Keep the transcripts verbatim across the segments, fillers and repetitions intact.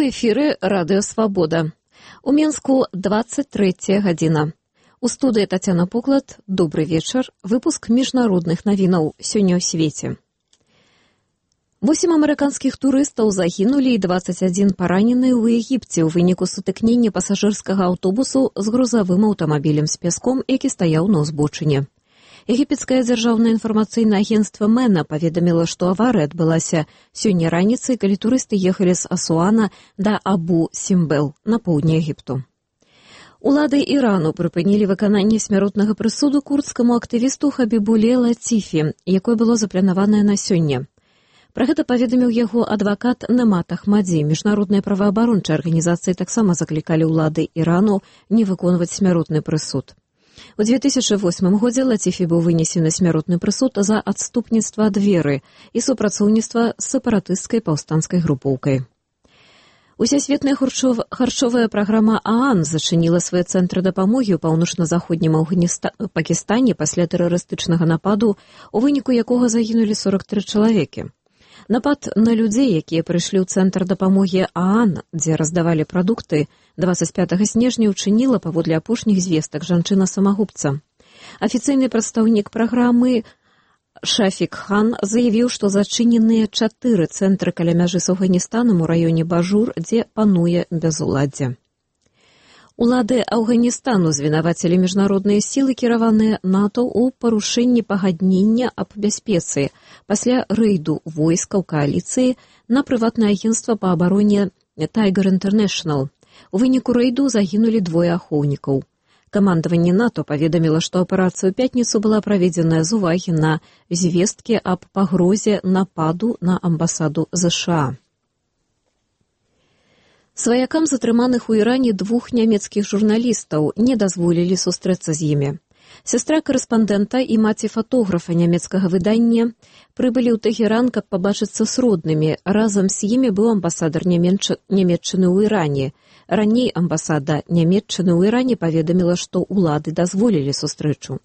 У эфіры Радыё Свабода. У Менску двадцать трэцяя гадзіна. У студыі Тацяна Поклад. Добры вечар. Выпуск міжнародных навінаў сёння ў свеце. Восем амерыканскіх турыстаў загінулі і дваццаць адзін паранены ў Егіпце ў выніку сутыкнення пасажырскага аўтобусу з грузавым аўтамабілем з пяском, які стаяў на ўзбочыне. Егіпецкае дзяржаўнае інфармацыйнае агенцтва Мэна паведаміла, што аварыя адбылася сёння раніцай, калі турысты ехалі з Асуана да Абу-Сімбел на поўдні Егіпту. Улады Ірану прыпынілі выкананне смяротнага прысуду курдскаму актывісту Хабібуле Лацифі, якое было запланаванае на сёння. Пра гэта паведаміў яго адвакат Немат Ахмадзі. Міжнародныя праваабарончыя арганізацыі таксама заклікалі ўлады Ірану не выконваць смяротны прысуд. У две тысячы восьмым годзе Лацифі быў вынесены смяротны прысуд за адступніцтва ад веры і супрацоўніцтва з сепаратысцкай паўстанцкай групоўкай. Усесветная харчовая праграма ААН зачыніла свае цэнтры дапамогі ў паўночна-заходнім Афганіста... Пакістане пасля тэрарыстычнага нападу, у выніку якога загінулі сорак тры чалавекі. Напад на людзей, якія прыйшлі ў цэнтр дапамогі ААН, дзе раздавалі прадукты, дваццаць пятага снежня учыніла паводле апошніх звестак жанчына-самагубца. Афіцыйны прадстаўнік праграмы Шафік Хан заявіў, што зачыненыя чатыры цэнтры каля мяжы з Афганістанам у раёне Бажур, дзе пануе бязуладдзе. Улады Афганістану звінавацілі міжнародныя сілы, кіраваныя НАТО ў парушэнні пагаднення аб бяспецы пасля рэйду войскаў кааліцыі на прыватнае агенцтва па абароне Tiger International. У выніку рэйду загінулі двое ахоўнікаў. Камандаванне НАТО паведаміла, што аперацыя ў пятніцу была праведзеная з увагі на звесткі аб пагрозе нападу на амбасаду ЗША. Сваякам затрыманых у Іране двух нямецкіх журналістаў не дазволілі сустрэцца з імі. Сястра корэспандэнта і маці фатографа нямецкага выдання прыбылі ў Тэгеран, каб пабачыцца з роднымі. Разам з імі быў амбасадар Нямецчыны ў Іране. Раней амбасада Нямецчыны ў Іране паведаміла, што ўлады дазволілі сустрэчу.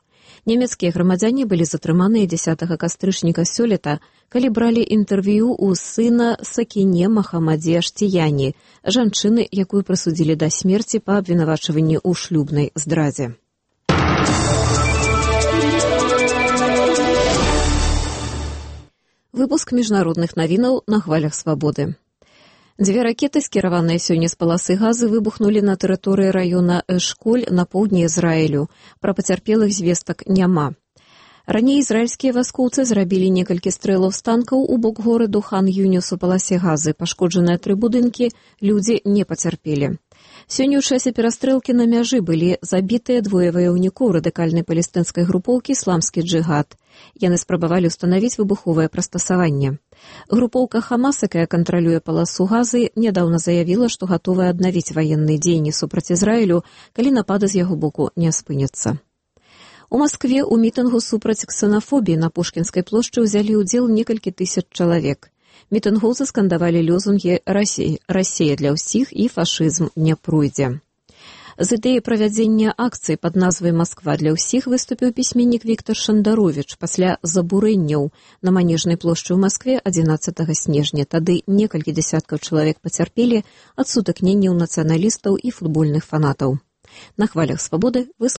Нямецкія грамадзяне былі затрыманыя дзесятага кастрычніка сёлета, калі бралі інтэрв'ю ў сына Сакіне Махамадзе Аштіяні, жанчыны, якую прысудзілі да смерці па абвінавачванні ў шлюбнай здрадзе. Выпуск міжнародных навінаў на хвалях свабоды. Дзве ракеты, скіраваныя сёння з паласы газы, выбухнулі на тэрыторыі раёна Эшколь на поўдні Ізраілю. Пра пацярпелых звестак няма. Раней ізраільскія васкоўцы зрабілі некалькі стрэлаў з танкаў у бок гораду Хан-Юніс у паласе газы. Пашкоджаныя тры будынкі, людзі не пацярпелі. Сёння ў часе перастрэлкі на мяжы былі забітыя двое ваяўнікоў радыкальнай палестынскай групоўкі «Ісламскі джыгад». Яны спрабавалі ўстанавіць выбуховае прыстасаванне. Групоўка Хамас, якая кантралюе паласу газы, нядаўна заявіла, што гатовая аднавіць ваенныя дзеянні супраць Ізраілю, калі напады з яго боку не спыняцца. У Маскве ў мітынгу супраць ксенафобіі на Пушкінскай плошчы ўзялі ўдзел некалькі тысяч чалавек. Мітынгоўцы скандавалі лозунгі «Расія, Расія для ўсіх» і «Фашызм не пройдзе». З ідэяй правядзення акцыі пад назвай «Масква для ўсіх» выступіў пісьменнік Віктар Шандаровіч пасля забурэнняў на Манежнай плошчы ў Маскве адзінаццатага снежня. Тады некалькі дзясяткаў чалавек пацярпелі ад сутыкненняў нацыяналістаў і футбольных фанатаў. На хвалях свабоды вы